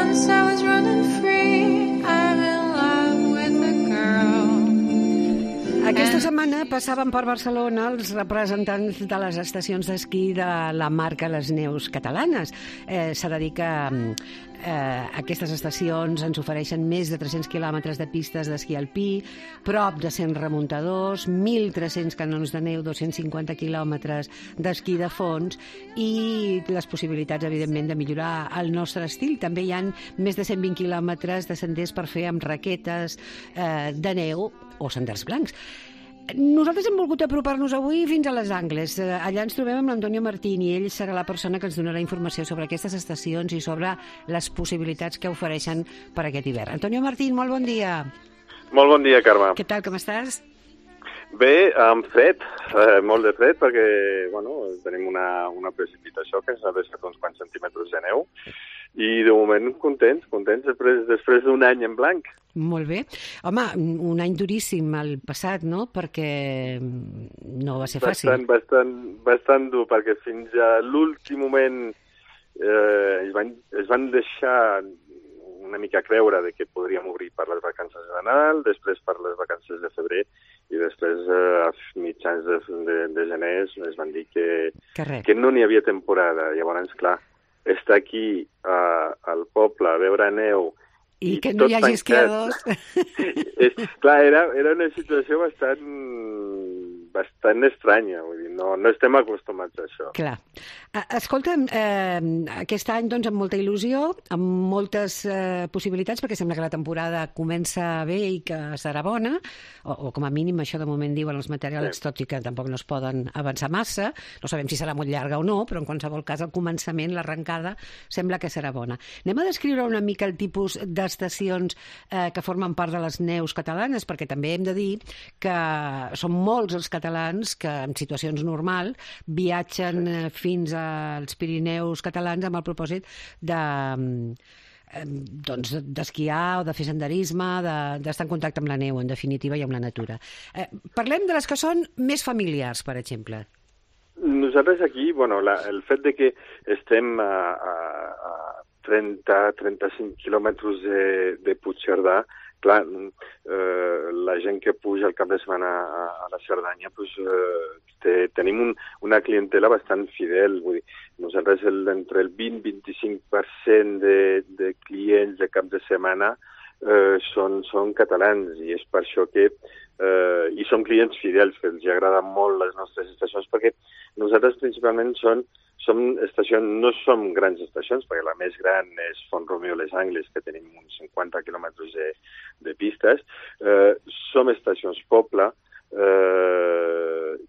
once I was running free. I'm in love with a girl. Aquesta setmana passaven per Barcelona els representants de les estacions d'esquí de la marca Les Neus Catalanes. S'ha de dir que aquestes estacions ens ofereixen més de 300 quilòmetres de pistes d'esquí alpí, prop de 100 remuntadors, 1.300 canons de neu, 250 quilòmetres d'esquí de fons i les possibilitats, evidentment, de millorar el nostre estil. També hi ha més de 120 quilòmetres de senders per fer amb raquetes de neu o senders blancs. Nosaltres hem volgut apropar-nos avui fins a Les Angles. Allà ens trobem amb l'Antonio Martín i ell serà la persona que ens donarà informació sobre aquestes estacions i sobre les possibilitats que ofereixen per aquest hivern. Antonio Martín, molt bon dia. Molt bon dia, Carme. Què tal, com estàs? Bé, amb fred, molt de fred, perquè tenim una precipitació que ens ha deixat uns quants centímetres de neu i de moment contents després d'un any en blanc. Molt bé. Home, un any duríssim el passat, no? Perquè no va ser fàcil. Bastant dur, perquè fins a l'últim moment es van deixar una mica creure de que podríem obrir per les vacances de Nadal, després per les vacances de febrer i després a mitjans de gener es van dir que no n'hi havia temporada. Llavors, clar, estar aquí al poble a veure neu i que no hi hagi esquiadors. Clar, era una situació bastant estranya, vull dir, no estem acostumats a això. Clar. Escolta'm, aquest any, doncs, amb molta il·lusió, amb moltes possibilitats, perquè sembla que la temporada comença bé i que serà bona, o com a mínim això de moment diuen els meteoròlegs, tot i que tampoc no es poden avançar massa, no sabem si serà molt llarga o no, però en qualsevol cas el començament, l'arrencada, sembla que serà bona. Anem a descriure una mica el tipus d'estacions que formen part de les neus catalanes, perquè també hem de dir que són molts els catalans que en situacions normals viatgen fins als Pirineus catalans amb el propòsit d'esquiar o de fer senderisme, d'estar en contacte amb la neu, en definitiva, i amb la natura. Parlem de les que són més familiars, per exemple. Nosaltres aquí, el fet de que estem a 30-35 quilòmetres de Puigcerdà, clar, la gent que puja el cap de setmana a la Cerdanya, tenim una clientela bastant fidel. Vull dir, nosaltres entre el 20-25% de clients de cap de setmana són catalans i és per això que i són clients fidels, que els agraden molt les nostres estacions, perquè nosaltres principalment som estacions, no som grans estacions, perquè la més gran és Font-romeu Les Angles, que tenim uns 50 quilòmetres de pistes. Som estacions poble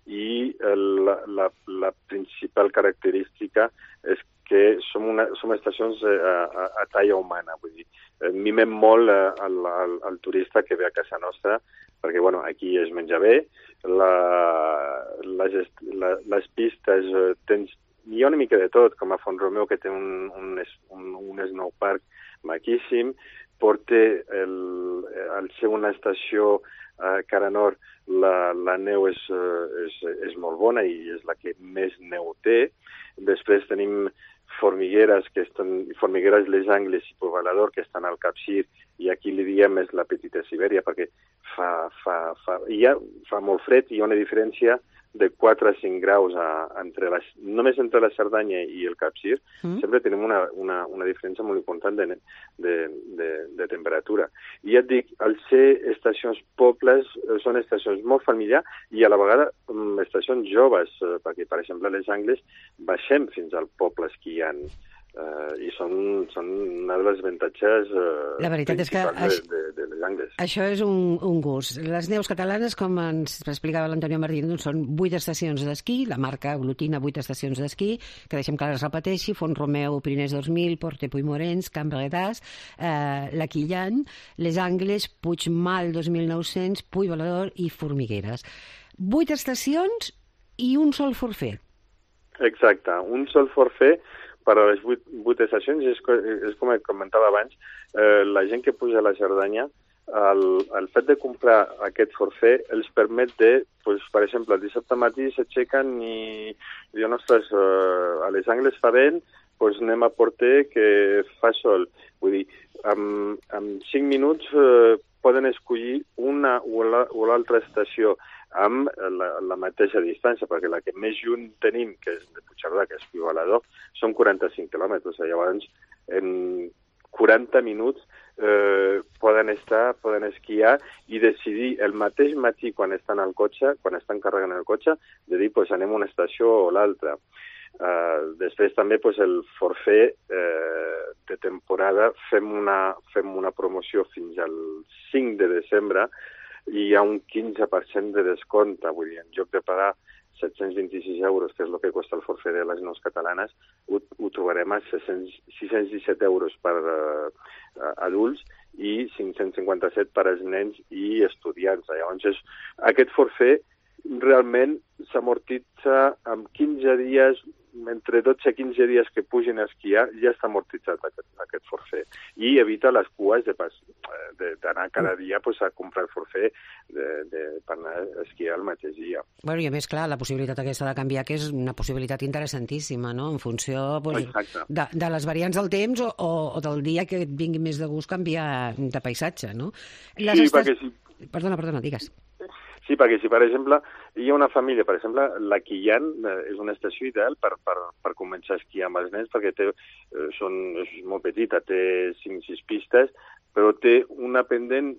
i la principal característica és que som estacions a talla humana, vull dir, mimem molt al turista que ve a casa nostra, perquè aquí es menja bé, les pistes hi ha una mica de tot, com a Font-romeu, que té un snowpark maquíssim, porta al ser una estació cara nord, la neu és molt bona i és la que més neu té. Després tenim Formigueres Les Angles i Poblador, que estan al Capcir, i aquí li diem és la Petita Sibèria, perquè fa molt fred i hi ha una diferència de 4 a 5 graus només entre la Cerdanya i el Capcir. Sempre tenim una diferència molt important de temperatura. I ja et dic, al ser estacions pobles, són estacions molt familiars i a la vegada estacions joves, perquè, per exemple, a Les Angles baixem fins al poble esquiant i són una de les avantatges principals de Les Angles. Això és un gust. Les neus catalanes, com ens explicava l'Antonio Martín, són 8 estacions d'esquí, la marca aglutina 8 estacions d'esquí, que deixem que les repeteixi: Font-romeu, Pirinès 2000, Porte Puigmorens, Camp Bredàs, la Quillan, Les Angles, Puigmal 2900, Puigbalador i Formigueres. 8 estacions i un sol forfet. Exacte, un sol forfet per a les 8 estacions. És com comentava abans, la gent que puja a la Cerdanya, el fet de comprar aquest forfet els permet de, per exemple, el dissabte matí s'aixequen i diuen, ostres, a Les Angles fa vent, anem a Porter que fa sol. Vull dir, en 5 minuts poden escollir una o l'altra estació amb la mateixa distància, perquè la que més lluny tenim, que és de Puigcerdà, que és Igualador, són 45 quilòmetres. Llavors, en 40 minuts poden esquiar i decidir el mateix matí quan estan al cotxe, quan estan carregant el cotxe, de dir, pues, anem a una estació o l'altra. Després també pues, el forfait de temporada fem una promoció fins al 5 de desembre i hi ha un 15% de descompte, vull dir, en lloc de pagar 726 euros, que és el que costa el forfait de les neus catalanes, ho trobarem a 617 euros per adults i 557 per als nens i estudiants. Llavors, aquest forfait realment s'amortitza en 15 dies, entre 12 i 15 dies que pugin a esquiar, ja està amortitzat aquest forfait. I evita les cues d'anar cada dia pues, a comprar el forfait per anar a esquiar el mateix dia. Bueno, i a més, clar, la possibilitat aquesta de canviar, que és una possibilitat interessantíssima, no?, en funció pues, de les variants del temps o del dia que et vingui més de gust canviar de paisatge, no? Perquè sí. Perdona, digues. Sí, perquè si, per exemple, hi ha una família, per exemple, la Quillan és una estació ideal per començar a esquiar amb els nens, perquè és molt petita, té 5-6 pistes, però té una pendent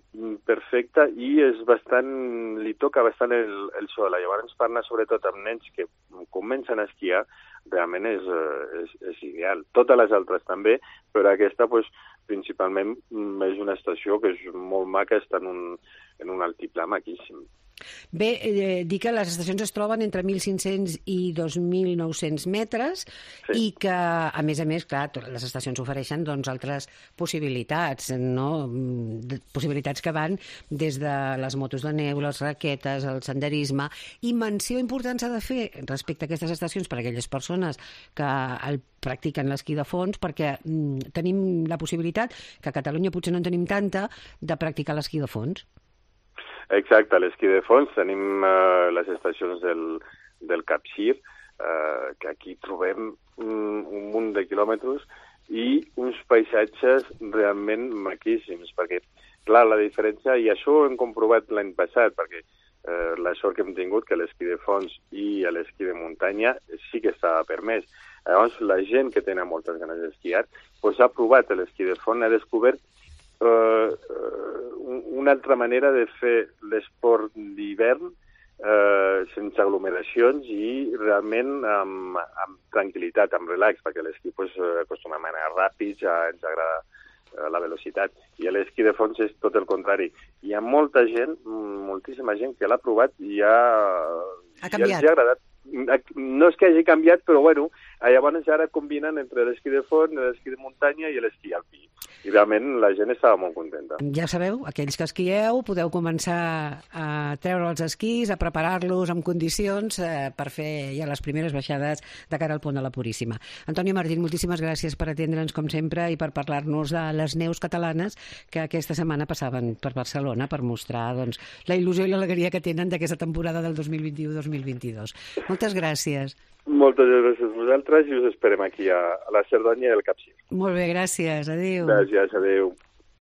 perfecta i li toca bastant el sol. Llavors, per anar sobretot amb nens que comencen a esquiar, realment és ideal. Totes les altres també, però aquesta, pues, principalment, és una estació que és molt maca, està en un altiplà maquíssim. Bé, dir que les estacions es troben entre 1.500 i 2.900 metres i que, a més, clar, les estacions ofereixen doncs, altres possibilitats, no? Possibilitats que van des de les motos de neu, les raquetes, el senderisme, i menció important s'ha de fer respecte a aquestes estacions per a aquelles persones que el practiquen l'esquí de fons, perquè tenim la possibilitat, que a Catalunya potser no en tenim tanta, de practicar l'esquí de fons. Exacte, a l'esquí de fons tenim les estacions del Capcir, que aquí trobem un munt de quilòmetres i uns paisatges realment maquíssims, perquè, clar, la diferència, i això ho hem comprovat l'any passat, perquè la sort que hem tingut que l'esquí de fons i l'esquí de muntanya sí que estava permès. Llavors, la gent que tenia moltes ganes d'esquiar pues, ha provat l'esquí de fons, ha descobert una altra manera de fer l'esport d'hivern sense aglomeracions i realment amb tranquil·litat, amb relax, perquè a l'esquí pues, acostumem a anar ràpids, ens agrada la velocitat, i a l'esquí de fons és tot el contrari. Hi ha molta gent, moltíssima gent que l'ha provat i ja els ha agradat. No és que hagi canviat, però bueno, llavors ara combinen entre l'esquí de fons, l'esquí de muntanya i l'esquí alpí. I realment la gent estava molt contenta. Ja sabeu, aquells que esquieu podeu començar a treure els esquís, a preparar-los en condicions per fer ja les primeres baixades de cara al Pont de la Puríssima. Antonio Martín, moltíssimes gràcies per atendre'ns com sempre i per parlar-nos de les neus catalanes que aquesta setmana passaven per Barcelona per mostrar doncs, la il·lusió i l'alegria que tenen d'aquesta temporada del 2021-2022. Moltes gràcies. Moltes gràcies a vosaltres i us esperem aquí a la Cerdanya i al Capcir. Molt bé, gràcies. Adéu. Gràcies, adéu.